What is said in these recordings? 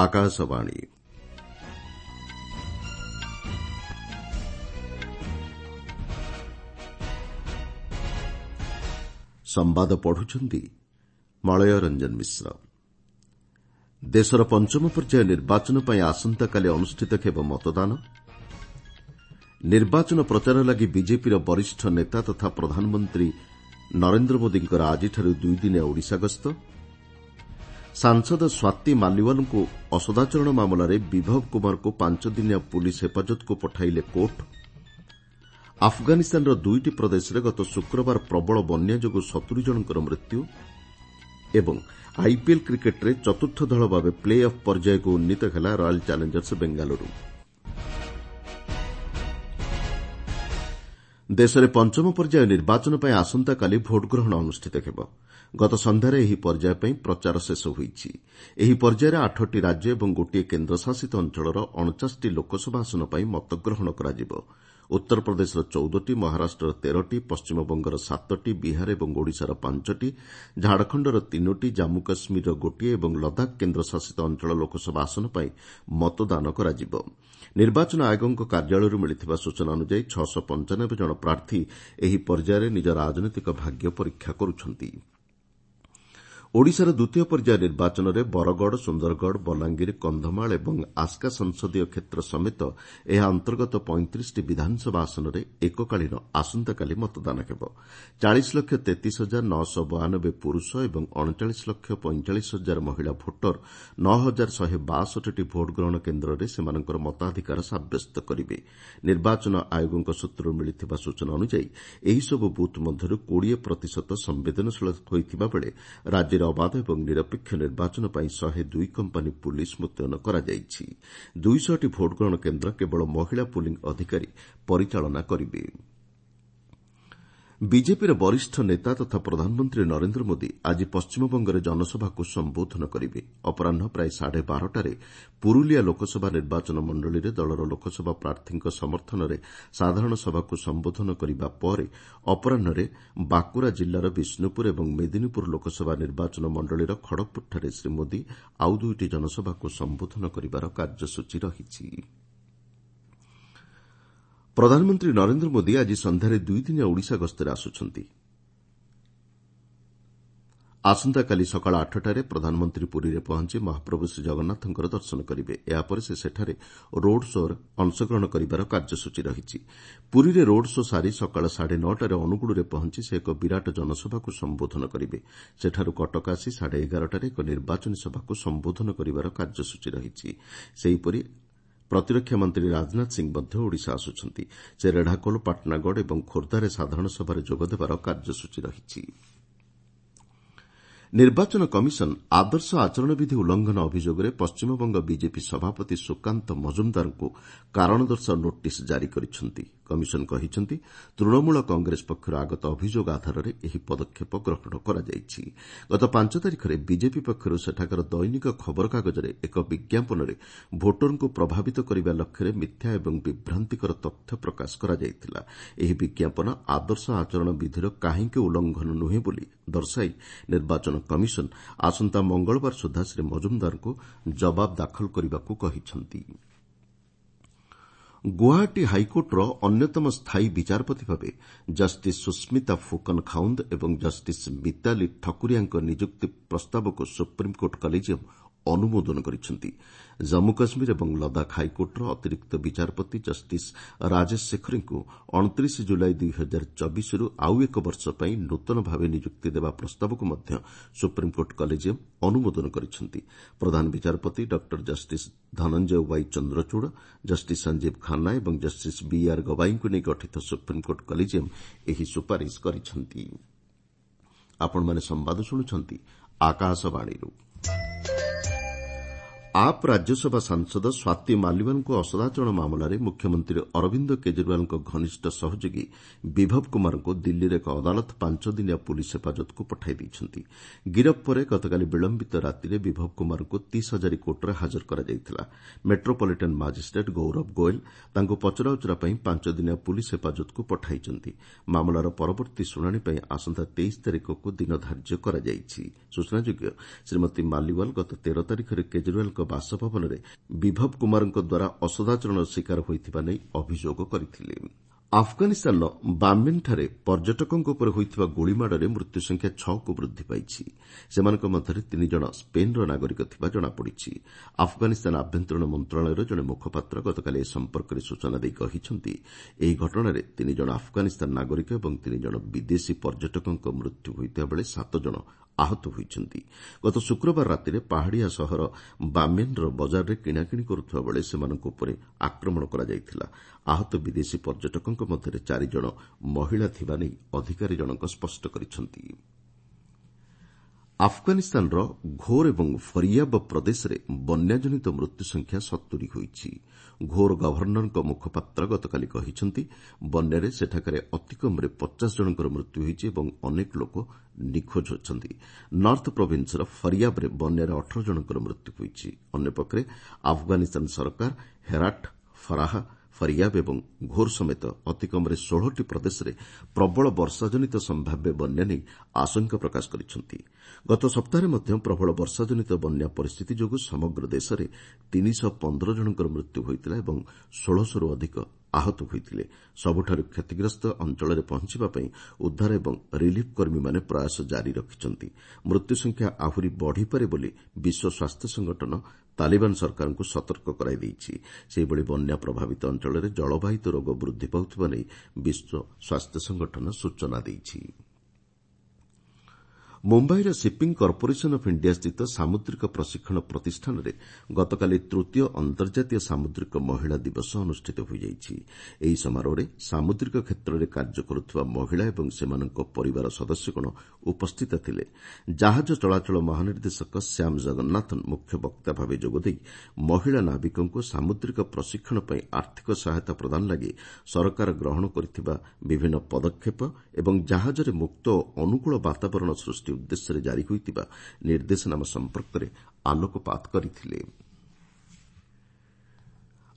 ଆକାଶବାଣୀ। ସମ୍ବାଦ ପଢୁଛନ୍ତି ମଳୟ ରଞ୍ଜନ ମିଶ୍ର। ଦେଶର ପଞ୍ଚମ ପର୍ଯ୍ୟାୟ ନିର୍ବାଚନ ପାଇଁ ଆସନ୍ତାକାଲି ଅନୁଷ୍ଠିତ ହେବ ମତଦାନ। ନିର୍ବାଚନ ପ୍ରଚାର ଲାଗି ବିଜେପିର ବରିଷ୍ଠ ନେତା ତଥା ପ୍ରଧାନମନ୍ତ୍ରୀ ନରେନ୍ଦ୍ର ମୋଦିଙ୍କର ଆଜିଠାରୁ ଦୁଇଦିନିଆ ଓଡ଼ିଶା ଗସ୍ତ। ସାଂସଦ ସ୍ୱାତୀ ମାଲିୱାଲଙ୍କୁ ଅସଦାଚରଣ ମାମଲାରେ ବିଭବ କୁମାରଙ୍କୁ ପାଞ୍ଚଦିନିଆ ପୁଲିସ୍ ହେପାଜତକୁ ପଠାଇଲେ କୋର୍ଟ। ଆଫଗାନିସ୍ତାନର ଦୁଇଟି ପ୍ରଦେଶରେ ଗତ ଶୁକ୍ରବାର ପ୍ରବଳ ବନ୍ୟା ଯୋଗୁଁ 70 ଜଣଙ୍କର ମୃତ୍ୟୁ ଏବଂ ଆଇପିଏଲ୍ କ୍ରିକେଟ୍ରେ ଚତୁର୍ଥ ଦଳ ଭାବେ ପ୍ଲେ ଅଫ୍ ପର୍ଯ୍ୟାୟକୁ ଉନ୍ନୀତ ହେଲା ରୟାଲ୍ ଚ୍ୟାଲେଞ୍ଜର୍ସ ବେଙ୍ଗାଲୁରୁ। ଦେଶରେ ପଞ୍ଚମ ପର୍ଯ୍ୟାୟ ନିର୍ବାଚନ ପାଇଁ ଆସନ୍ତାକାଲି ଭୋଟ୍ଗ୍ରହଣ ଅନୁଷ୍ଠିତ ହେବ। ଗତ ସନ୍ଧ୍ୟାରେ ଏହି ପର୍ଯ୍ୟାୟ ପାଇଁ ପ୍ରଚାର ଶେଷ ହୋଇଛି। ଏହି ପର୍ଯ୍ୟାୟରେ ଆଠଟି ରାଜ୍ୟ ଏବଂ ଗୋଟିଏ କେନ୍ଦ୍ରଶାସିତ ଅଞ୍ଚଳର 49ଟି ଲୋକସଭା ଆସନ ପାଇଁ ମତଗ୍ରହଣ କରାଯିବ। ଉତ୍ତରପ୍ରଦେଶର 14ଟି, ମହାରାଷ୍ଟ୍ରର 13ଟି, ପଶ୍ଚିମବଙ୍ଗର ସାତଟି, ବିହାର ଏବଂ ଓଡ଼ିଶାର ପାଞ୍ଚଟି, ଝାଡ଼ଖଣ୍ଡର ତିନୋଟି, ଜାମ୍ମୁ କାଶ୍ମୀରର ଗୋଟିଏ ଏବଂ ଲଦାଖ କେନ୍ଦ୍ରଶାସିତ ଅଞ୍ଚଳ ଲୋକସଭା ଆସନ ପାଇଁ ମତଦାନ କରାଯିବ। ନିର୍ବାଚନ ଆୟୋଗଙ୍କ କାର୍ଯ୍ୟାଳୟରୁ ମିଳିଥିବା ସୂଚନା ଅନୁଯାୟୀ 695 ଜଣ ପ୍ରାର୍ଥୀ ଏହି ପର୍ଯ୍ୟାୟରେ ନିଜ ରାଜନୈତିକ ଭାଗ୍ୟ ପରୀକ୍ଷା କରୁଛନ୍ତି। ଓଡ଼ିଶାର ଦ୍ୱିତୀୟ ପର୍ଯ୍ୟାୟ ନିର୍ବାଚନରେ ବରଗଡ଼, ସୁନ୍ଦରଗଡ଼, ବଲାଙ୍ଗୀର, କନ୍ଧମାଳ ଏବଂ ଆସ୍କା ସଂସଦୀୟ କ୍ଷେତ୍ର ସମେତ ଏହା ଅନ୍ତର୍ଗତ 35ଟି ବିଧାନସଭା ଆସନରେ ଏକକାଳୀନ ଆସନ୍ତାକାଲି ମତଦାନ ହେବ। 40 ଲକ୍ଷ 33 ହଜାର 992 ପୁରୁଷ ଏବଂ 39 ଲକ୍ଷ 45 ହଜାର ମହିଳା ଭୋଟର 9 ହଜାର 162ଟି ଭୋଟ୍ଗ୍ରହଣ କେନ୍ଦ୍ରରେ ସେମାନଙ୍କର ମତାଧିକାର ସାବ୍ୟସ୍ତ କରିବେ। ନିର୍ବାଚନ ଆୟୋଗଙ୍କ ସୂତ୍ରରୁ ମିଳିଥିବା ସୂଚନା ଅନୁଯାୟୀ ଏହିସବୁ ବୁଥ୍ ମଧ୍ୟରୁ 20 ପ୍ରତିଶତ ସମ୍ବେଦନଶୀଳ ହୋଇଥିବାବେଳେ ରାଜ୍ୟରେ ଅବାଧ ଏବଂ ନିରପେକ୍ଷ ନିର୍ବାଚନ ପାଇଁ 102 କମ୍ପାନୀ ପୁଲିସ୍ ମୁତୟନ କରାଯାଇଛି। 200ଟି ଭୋଟ୍ଗ୍ରହଣ କେନ୍ଦ୍ର କେବଳ ମହିଳା ପୁଲିଂ ଅଧିକାରୀ ପରିଚାଳନା କରିବେ। ବିଜେପିର ବରିଷ୍ଠ ନେତା ତଥା ପ୍ରଧାନମନ୍ତ୍ରୀ ନରେନ୍ଦ୍ର ମୋଦି ଆଜି ପଶ୍ଚିମବଙ୍ଗରେ ଜନସଭାକୁ ସମ୍ବୋଧନ କରିବେ। ଅପରାହ୍ନ ପ୍ରାୟ ସାଢ଼େ ବାରଟାରେ ପୁରୁଲିଆ ଲୋକସଭା ନିର୍ବାଚନ ମଣ୍ଡଳୀରେ ଦଳର ଲୋକସଭା ପ୍ରାର୍ଥୀଙ୍କ ସମର୍ଥନରେ ସାଧାରଣ ସଭାକୁ ସମ୍ବୋଧନ କରିବା ପରେ ଅପରାହ୍ନରେ ବାଙ୍କୁରା ଜିଲ୍ଲାର ବିଷ୍ଣୁପୁର ଏବଂ ମେଦିନୀପୁର ଲୋକସଭା ନିର୍ବାଚନ ମଣ୍ଡଳୀର ଖଡ଼ଗପୁରଠାରେ ଶ୍ରୀ ମୋଦି ଆଉ ଦୁଇଟି ଜନସଭାକୁ ସମ୍ବୋଧନ କରିବାର କାର୍ଯ୍ୟସୂଚୀ ରହିଛି। ପ୍ରଧାନମନ୍ତ୍ରୀ ନରେନ୍ଦ୍ର ମୋଦି ଆଜି ସନ୍ଧ୍ୟାରେ ଦୁଇଦିନିଆ ଓଡ଼ିଶା ଗସ୍ତରେ ଆସୁଛନ୍ତି। ଆସନ୍ତାକାଲି ସକାଳ 8ଟାରେ ପ୍ରଧାନମନ୍ତ୍ରୀ ପୁରୀରେ ପହଞ୍ଚି ମହାପ୍ରଭୁ ଶ୍ରୀଜଗନ୍ନାଥଙ୍କର ଦର୍ଶନ କରିବେ। ଏହାପରେ ସେ ସେଠାରେ ରୋଡ୍ ଶୋ'ରେ ଅଂଶଗ୍ରହଣ କରିବାର କାର୍ଯ୍ୟସୂଚୀ ରହିଛି। ପୁରୀରେ ରୋଡ୍ ଶୋ ସାରି ସକାଳ ସାଢ଼େ ନଅଟାରେ ଅନୁଗୁଳରେ ପହଞ୍ଚି ସେ ଏକ ବିରାଟ ଜନସଭାକୁ ସମ୍ବୋଧନ କରିବେ। ସେଠାରୁ କଟକ ଆସି ସାଢ଼େ ଏଗାରଟାରେ ଏକ ନିର୍ବାଚନୀ ସଭାକୁ ସମ୍ବୋଧନ କରିବାର କାର୍ଯ୍ୟସୂଚୀ ରହିଛି। ସେହିପରି ପ୍ରତିରକ୍ଷା ମନ୍ତ୍ରୀ ରାଜନାଥ ସିଂ ମଧ୍ୟ ଓଡ଼ିଶା ଆସୁଛନ୍ତି। ସେ ରେଢ଼ାଖୋଲ, ପାଟଣାଗଡ଼ ଏବଂ ଖୋର୍ଦ୍ଧାରେ ସାଧାରଣ ସଭାରେ ଯୋଗଦେବାର କାର୍ଯ୍ୟସୂଚୀ ରହିଛି। ନିର୍ବାଚନ କମିଶନ ଆଦର୍ଶ ଆଚରଣବିଧି ଉଲ୍ଲଂଘନ ଅଭିଯୋଗରେ ପଶ୍ଚିମବଙ୍ଗ ବିଜେପି ସଭାପତି ସୁକାନ୍ତ ମଜୁମ୍ଦାରଙ୍କୁ କାରଣ ଦର୍ଶାଅ ନୋଟିସ୍ ଜାରି କରିଛନ୍ତି। କମିଶନ କହିଛନ୍ତି, ତୃଣମୂଳ କଂଗ୍ରେସ ପକ୍ଷରୁ ଆଗତ ଅଭିଯୋଗ ଆଧାରରେ ଏହି ପଦକ୍ଷେପ ଗ୍ରହଣ କରାଯାଇଛି। ଗତ 5 ତାରିଖରେ ବିଜେପି ପକ୍ଷରୁ ସେଠାକାର ଦୈନିକ ଖବରକାଗଜରେ ଏକ ବିଜ୍ଞାପନରେ ଭୋଟରଙ୍କୁ ପ୍ରଭାବିତ କରିବା ଲକ୍ଷ୍ୟରେ ମିଥ୍ୟା ଏବଂ ବିଭ୍ରାନ୍ତିକର ତଥ୍ୟ ପ୍ରକାଶ କରାଯାଇଥିଲା। ଏହି ବିଜ୍ଞାପନ ଆଦର୍ଶ ଆଚରଣ ବିଧିର କାହିଁକି ଉଲ୍ଲଂଘନ ନୁହେଁ ବୋଲି ଦର୍ଶାଇ ନିର୍ବାଚନ କମିଶନ ଆସନ୍ତା ମଙ୍ଗଳବାର ସୁଦ୍ଧା ଶ୍ରୀ ମଜୁମ୍ଦାରଙ୍କୁ ଜବାବ ଦାଖଲ କରିବାକୁ କହିଛନ୍ତି। ଗୁଆହାଟୀ ହାଇକୋର୍ଟର ଅନ୍ୟତମ ସ୍ଥାୟୀ ବିଚାରପତି ଭାବେ ଜଷ୍ଟିସ୍ ସୁସ୍ମିତା ଫୁକନ ଖାଉନ୍ଦ ଏବଂ ଜଷ୍ଟିସ୍ ମିତାଲି ଠକୁରିଆଙ୍କ ନିଯୁକ୍ତି ପ୍ରସ୍ତାବକୁ ସୁପ୍ରିମକୋର୍ଟ କଲେଜିୟମ୍ ଅନୁମୋଦନ କରିଛନ୍ତି। ଜମ୍ମୁ କାଶ୍ମୀର ଏବଂ ଲଦାଖ ହାଇକୋର୍ଟର ଅତିରିକ୍ତ ବିଚାରପତି ଜଷ୍ଟିସ୍ ରାଜେଶ ସେଖରୀଙ୍କୁ 29 ଜୁଲାଇ 2024ରୁ ଆଉ ଏକ ବର୍ଷ ପାଇଁ ନୂତନ ଭାବେ ନିଯୁକ୍ତି ଦେବା ପ୍ରସ୍ତାବକୁ ମଧ୍ୟ ସୁପ୍ରିମକୋର୍ଟ କଲେଜିୟମ୍ ଅନୁମୋଦନ କରିଛନ୍ତି। ପ୍ରଧାନ ବିଚାରପତି doctor justice Dhananjay Y Chandrachud, justice Sanjiv Khanna ଏବଂ ଜଷ୍ଟିସ୍ ବିଆର୍ ଗବାଇଙ୍କୁ ନେଇ ଗଠିତ ସୁପ୍ରିମକୋର୍ଟ କଲେଜିୟମ୍ ଏହି ସୁପାରିଶ କରିଛନ୍ତି। ଆପଣମାନେ ସମ୍ବାଦ ଶୁଣୁଛନ୍ତି ଆକାଶବାଣୀରୁ। ଆପ୍ ରାଜ୍ୟସଭା ସାଂସଦ ସ୍ୱାତୀ ମାଲିୱାଲଙ୍କୁ ଅସଦାଚରଣ ମାମଲାରେ ମୁଖ୍ୟମନ୍ତ୍ରୀ ଅରବିନ୍ଦ କେଜରିୱାଲଙ୍କ ଘନିଷ୍ଠ ସହଯୋଗୀ ବିଭବ କୁମାରଙ୍କୁ ଦିଲ୍ଲୀର ଏକ ଅଦାଲତ ପାଞ୍ଚଦିନିଆ ପୁଲିସ୍ ହେପାଜତକୁ ପଠାଇ ଦେଇଛନ୍ତି। ଗିରଫ ପରେ ଗତକାଲି ବିଳମ୍ବିତ ରାତିରେ ବିଭବ କୁମାରଙ୍କୁ ତିସ୍ ହଜାରୀ କୋର୍ଟରେ ହାଜର କରାଯାଇଥିଲା। ମେଟ୍ରୋପଲିଟାନ୍ ମାଜିଷ୍ଟ୍ରେଟ୍ ଗୌରବ ଗୋଏଲ୍ ତାଙ୍କୁ ପଚରାଉଚରା ପାଇଁ ପାଞ୍ଚଦିନିଆ ପୁଲିସ୍ ହେପାଜତକୁ ପଠାଇଛନ୍ତି। ମାମଲାର ପରବର୍ତ୍ତୀ ଶୁଣାଣି ପାଇଁ ଆସନ୍ତା 23 ତାରିଖକୁ ଦିନ ଧାର୍ଯ୍ୟ କରାଯାଇଛି। ସୂଚନାଯୋଗ୍ୟ, ଶ୍ରୀମତୀ ମାଲିୱାଲ ଗତ 13 ତାରିଖରେ କେଜରିୱାଲଙ୍କ ବାସଭବନରେ ବିଭବ କୁମାରଙ୍କ ଦ୍ୱାରା ଅସଦାଚରଣର ଶିକାର ହୋଇଥିବା ନେଇ ଅଭିଯୋଗ କରିଥିଲେ। ଆଫଗାନିସ୍ତାନର ବାମିନ୍ଠାରେ ପର୍ଯ୍ୟଟକଙ୍କ ଉପରେ ହୋଇଥିବା ଗୁଳିମାଡ଼ରେ ମୃତ୍ୟୁସଂଖ୍ୟା ଛଅକୁ ବୃଦ୍ଧି ପାଇଛି। ସେମାନଙ୍କ ମଧ୍ୟରେ ତିନି ଜଣ ସ୍ପେନ୍ର ନାଗରିକ ଥିବା ଜଣାପଡ଼ିଛି। ଆଫଗାନିସ୍ତାନ ଆଭ୍ୟନ୍ତରୀଣ ମନ୍ତ୍ରଣାଳୟର ଜଣେ ମୁଖପାତ୍ର ଗତକାଲି ଏ ସମ୍ପର୍କରେ ସୂଚନା ଦେଇ କହିଛନ୍ତି, ଏହି ଘଟଣାରେ ତିନି ଜଣ ଆଫଗାନିସ୍ତାନ ନାଗରିକ ଏବଂ ତିନି ଜଣ ବିଦେଶୀ ପର୍ଯ୍ୟଟକଙ୍କ ମୃତ୍ୟୁ ହୋଇଥିବାବେଳେ ସାତ ଜଣ ଆହତ ହୋଇଛନ୍ତି। ଗତ ଶୁକ୍ରବାର ରାତିରେ ପାହାଡ଼ିଆ ସହର ବାମିନ୍ର ବଜାରରେ କିଣାକିଣି କରୁଥିବା ବେଳେ ସେମାନଙ୍କ ଉପରେ ଆକ୍ରମଣ କରାଯାଇଥିଲା। ଆହତ ବିଦେଶୀ ପର୍ଯ୍ୟଟକଙ୍କ ମଧ୍ୟରେ ଚାରିଜଣ ମହିଳା ଥିବା ନେଇ ଅଧିକାରୀ ଜଣକ ସ୍ପଷ୍ଟ କରିଛନ୍ତି। ଆଫଗାନିସ୍ତାନର ଘୋର୍ ଏବଂ ଫରିୟାବ ପ୍ରଦେଶରେ ବନ୍ୟାଜନିତ ମୃତ୍ୟୁସଂଖ୍ୟା 70 ହୋଇଛି। ଘୋର୍ ଗଭର୍ଣ୍ଣରଙ୍କ ମୁଖପାତ୍ର ଗତକାଲି କହିଛନ୍ତି, ବନ୍ୟାରେ ସେଠାକାରେ ଅତିକମ୍ରେ 50 ଜଣଙ୍କର ମୃତ୍ୟୁ ହୋଇଛି ଏବଂ ଅନେକ ଲୋକ ନିଖୋଜ ଅଛନ୍ତି। ନର୍ଥ ପ୍ରୋଭିନ୍ସର ଫରିୟାବରେ ବନ୍ୟାରେ 18 ଜଣଙ୍କର ମୃତ୍ୟୁ ହୋଇଛି। ଅନ୍ୟପକ୍ଷରେ ଆଫଗାନିସ୍ତାନ ସରକାର ହେରାଟ୍, ଫରାହା, ଫରିୟାବ ଏବଂ ଘୋର୍ ସମେତ ଅତିକମ୍ରେ 16ଟି ପ୍ରଦେଶରେ ପ୍ରବଳ ବର୍ଷାଜନିତ ସମ୍ଭାବ୍ୟ ବନ୍ୟା ନେଇ ଆଶଙ୍କା ପ୍ରକାଶ କରିଛନ୍ତି। ଗତ ସପ୍ତାହରେ ମଧ୍ୟ ପ୍ରବଳ ବର୍ଷାଜନିତ ବନ୍ୟା ପରିସ୍ଥିତି ଯୋଗୁଁ ସମଗ୍ର ଦେଶରେ 315 ଜଣଙ୍କର ମୃତ୍ୟୁ ହୋଇଥିଲା ଏବଂ 1600ରୁ ଅଧିକ ଆହତ ହୋଇଥିଲେ। ସବୁଠାରୁ କ୍ଷତିଗ୍ରସ୍ତ ଅଞ୍ଚଳରେ ପହଞ୍ଚିବା ପାଇଁ ଉଦ୍ଧାର ଏବଂ ରିଲିଫ୍ କର୍ମୀମାନେ ପ୍ରୟାସ ଜାରି ରଖିଛନ୍ତି। ମୃତ୍ୟୁସଂଖ୍ୟା ଆହୁରି ବଢ଼ିପାରେ ବୋଲି ବିଶ୍ୱ ସ୍ୱାସ୍ଥ୍ୟ ସଂଗଠନ ତାଲିବାନ ସରକାରଙ୍କୁ ସତର୍କ କରାଇ ଦେଇଛି। ସେହିଭଳି ବନ୍ୟା ପ୍ରଭାବିତ ଅଞ୍ଚଳରେ ଜଳବାହିତ ରୋଗ ବୃଦ୍ଧି ପାଉଥିବା ନେଇ ବିଶ୍ୱ ସ୍ୱାସ୍ଥ୍ୟ ସଂଗଠନ ସୂଚନା ଦେଇଛି। ମୁମ୍ବାଇର ସିପିଂ କର୍ପୋରେସନ୍ ଅଫ୍ ଇଣ୍ଡିଆ ସ୍ଥିତ ସାମୁଦ୍ରିକ ପ୍ରଶିକ୍ଷଣ ପ୍ରତିଷ୍ଠାନରେ ଗତକାଲି ତୃତୀୟ ଅନ୍ତର୍ଜାତୀୟ ସାମୁଦ୍ରିକ ମହିଳା ଦିବସ ଅନୁଷ୍ଠିତ ହୋଇଯାଇଛି। ଏହି ସମାରୋହରେ ସାମୁଦ୍ରିକ କ୍ଷେତ୍ରରେ କାର୍ଯ୍ୟ କରୁଥିବା ମହିଳା ଏବଂ ସେମାନଙ୍କ ପରିବାର ସଦସ୍ୟଗଣ ଉପସ୍ଥିତ ଥିଲେ। ଜାହାଜ ଚଳାଚଳ ମହାନିର୍ଦ୍ଦେଶକ ଶ୍ୟାମ ଜଗନ୍ନାଥନ୍ ମୁଖ୍ୟ ବକ୍ତା ଭାବେ ଯୋଗଦେଇ ମହିଳା ନାବିକଙ୍କୁ ସାମୁଦ୍ରିକ ପ୍ରଶିକ୍ଷଣ ପାଇଁ ଆର୍ଥିକ ସହାୟତା ପ୍ରଦାନ ଲାଗି ସରକାର ଗ୍ରହଣ କରିଥିବା ବିଭିନ୍ନ ପଦକ୍ଷେପ ଏବଂ ଜାହାଜରେ ମୁକ୍ତ ଓ ଅନୁକୂଳ ବାତାବରଣ ସୃଷ୍ଟି ଉଦ୍ଦେଶ୍ୟରେ ଜାରି ହୋଇଥିବା ନିର୍ଦ୍ଦେଶନାମା ସମ୍ପର୍କରେ ଆଲୋକପାତ କରିଥିଲେ।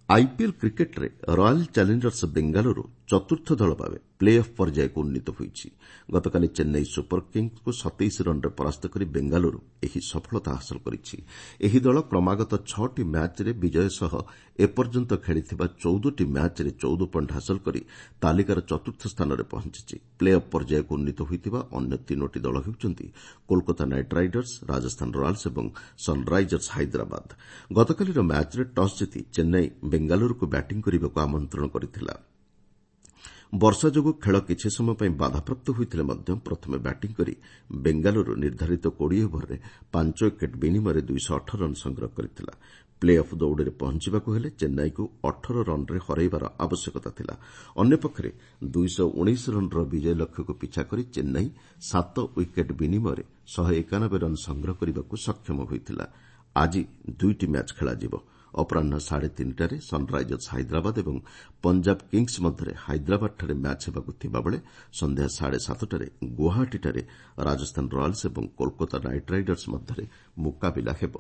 ଆଇପିଏଲ୍ କ୍ରିକେଟ୍ରେ ରୟାଲ୍ ଚ୍ୟାଲେଞ୍ଜର୍ସ ବେଙ୍ଗାଲୁରୁ ଚତୁର୍ଥ ଦଳ ଭାବେ ପ୍ଲେ ଅଫ୍ ପର୍ଯ୍ୟାୟକୁ ଉନ୍ନୀତ ହୋଇଛି। ଗତକାଲି ଚେନ୍ନାଇ ସୁପର କିଙ୍ଗ୍ସକୁ 27 ରନ୍ରେ ପରାସ୍ତ କରି ବେଙ୍ଗାଲୁରୁ ଏହି ସଫଳତା ହାସଲ କରିଛି। ଏହି ଦଳ କ୍ରମାଗତ ଛଅଟି ମ୍ୟାଚ୍ରେ ବିଜୟ ସହ ଏପର୍ଯ୍ୟନ୍ତ ଖେଳିଥିବା 14ଟି ମ୍ୟାଚ୍ରେ 14 ପଏଣ୍ଟ ହାସଲ କରି ତାଲିକାର ଚତୁର୍ଥ ସ୍ଥାନରେ ପହଞ୍ଚିଛି। ପ୍ଲେ ଅଫ୍ ପର୍ଯ୍ୟାୟକୁ ଉନ୍ନୀତ ହୋଇଥିବା ଅନ୍ୟ ତିନୋଟି ଦଳ ହେଉଛନ୍ତି Kolkata Knight Riders, Rajasthan Royals ଏବଂ ସନ୍ରାଇଜର୍ସ ହାଇଦ୍ରାବାଦ। ଗତକାଲିର ମ୍ୟାଚ୍ରେ ଟସ୍ ଜିତି ଚେନ୍ନାଇ ବେଙ୍ଗାଲୁରୁକୁ ବ୍ୟାଟିଂ କରିବାକୁ ଆମନ୍ତ୍ରଣ କରିଥିଲା। ବର୍ଷା ଯୋଗୁଁ ଖେଳ କିଛି ସମୟ ପାଇଁ ବାଧାପ୍ରାପ୍ତ ହୋଇଥିଲେ ମଧ୍ୟ ପ୍ରଥମେ ବ୍ୟାଟିଂ କରି ବେଙ୍ଗାଲୁରୁ ନିର୍ଦ୍ଧାରିତ 20 ଓଭରରେ 5 ୱିକେଟ୍ ବିନିମୟରେ 218 ରନ୍ ସଂଗ୍ରହ କରିଥିଲା। ପ୍ଲେ ଅଫ୍ ଦୌଡ଼ରେ ପହଞ୍ଚିବାକୁ ହେଲେ ଚେନ୍ନାଇକୁ 18 ରନ୍ରେ ହରାଇବାର ଆବଶ୍ୟକତା ଥିଲା। ଅନ୍ୟପକ୍ଷରେ 219 ରନ୍ର ବିଜୟ ଲକ୍ଷ୍ୟକୁ ପିଛା କରି ଚେନ୍ନାଇ 7 ୱିକେଟ୍ ବିନିମୟରେ 191 ରନ୍ ସଂଗ୍ରହ କରିବାକୁ ସକ୍ଷମ ହୋଇଥିଲା। ଆଜି ଦୁଇଟି ମ୍ୟାଚ୍ ଖେଳାଯିବ। ଅପରାହ୍ନ 3:30ରେ ସନ୍ରାଇଜର୍ସ ହାଇଦ୍ରାବାଦ ଏବଂ ପଞ୍ଜାବ କିଙ୍ଗ୍ସ ମଧ୍ୟରେ ହାଇଦ୍ରାବାଦଠାରେ ମ୍ୟାଚ୍ ହେବାକୁ ଥିବାବେଳେ ସନ୍ଧ୍ୟା 7:30ରେ ଗୁଆହାଟୀଠାରେ ରାଜସ୍ଥାନ ରୟାଲ୍ସ ଏବଂ କୋଲକାତା ନାଇଟ୍ ରାଇଡର୍ସ ମଧ୍ୟରେ ମୁକାବିଲା ହେବ।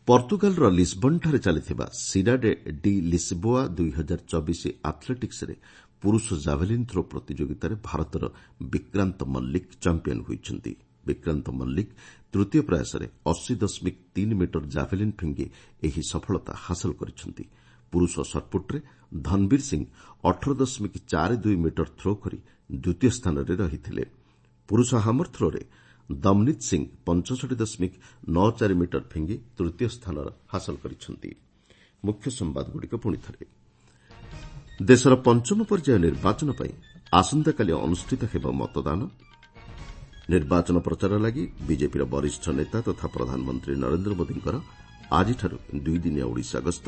ପର୍ତ୍ତୁଗାଲର ଲିସ୍ବନ୍ଠାରେ ଚାଲିଥିବା ସିଡାଡେ ଡି ଲିସ୍ବୋଆ 2024 ଆଥ୍ଲେଟିକ୍ସରେ ପୁରୁଷ ଜାଭେଲିନ୍ ଥ୍ରୋ ପ୍ରତିଯୋଗିତାରେ ଭାରତର ବିକ୍ରାନ୍ତ ମଲ୍ଲିକ ଚାମ୍ପିୟନ୍ ହୋଇଛନ୍ତି। ବିକ୍ରାନ୍ତ ମଲ୍ଲିକ ତୃତୀୟ ପ୍ରୟାସରେ 80.3 ମିଟର ଜାଭେଲିନ୍ ଫିଙ୍ଗି ଏହି ସଫଳତା ହାସଲ କରିଛନ୍ତି। ପୁରୁଷ ସଟ୍ପୁଟ୍ରେ ଧନବୀର ସିଂ 18.42 ମିଟର ଥ୍ରୋ କରି ଦ୍ୱିତୀୟ ସ୍ଥାନରେ ରହିଥିଲେ। ପୁରୁଷ ହାମର ଥ୍ରୋରେ ଦମନୀତ ସିଂ 65.94 ମିଟର ଫିଙ୍ଗି ତୃତୀୟ ସ୍ଥାନ ହାସଲ କରିଛନ୍ତି। ମୁଖ୍ୟ ସମ୍ବାଦଗୁଡ଼ିକ ପୁଣିଥରେ, ଦେଶର ପଞ୍ଚମ ପର୍ଯ୍ୟାୟ ନିର୍ବାଚନ ପାଇଁ ଆସନ୍ତାକାଲି ଅନୁଷ୍ଠିତ ହେବ ମତଦାନ। ନିର୍ବାଚନ ପ୍ରଚାର ଲାଗି ବିଜେପିର ବରିଷ୍ଠ ନେତା ତଥା ପ୍ରଧାନମନ୍ତ୍ରୀ ନରେନ୍ଦ୍ର ମୋଦିଙ୍କର ଆଜିଠାରୁ ଦୁଇଦିନିଆ ଓଡ଼ିଶା ଗସ୍ତ।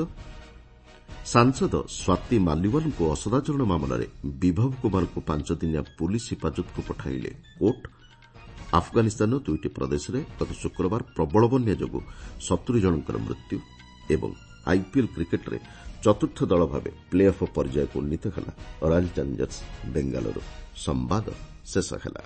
ସାଂସଦ ସ୍ୱାତୀ ମାଲିୱାଲଙ୍କୁ ଅସଦାଚରଣ ମାମଲାରେ ବିଭବ କୁମାରଙ୍କୁ ପାଞ୍ଚଦିନିଆ ପୁଲିସ୍ ହିଫାଜତକୁ ପଠାଇଲେ କୋର୍ଟ। ଆଫଗାନିସ୍ତାନର ଦୁଇଟି ପ୍ରଦେଶରେ ଗତ ଶୁକ୍ରବାର ପ୍ରବଳ ବନ୍ୟା ଯୋଗୁଁ 70 ଜଣଙ୍କର ମୃତ୍ୟୁ ଏବଂ ଆଇପିଏଲ୍ କ୍ରିକେଟ୍ରେ ଚତୁର୍ଥ ଦଳ ଭାବେ ପ୍ଲେ ଅଫ୍ ପର୍ଯ୍ୟାୟକୁ ଉନ୍ନୀତ ହେଲା ରୟାଲ୍ ଚ୍ୟାଲେଞ୍ଜର୍ସ ବେଙ୍ଗାଲୁରୁ। ସମ୍ବାଦ ଶେଷ ହେଲା।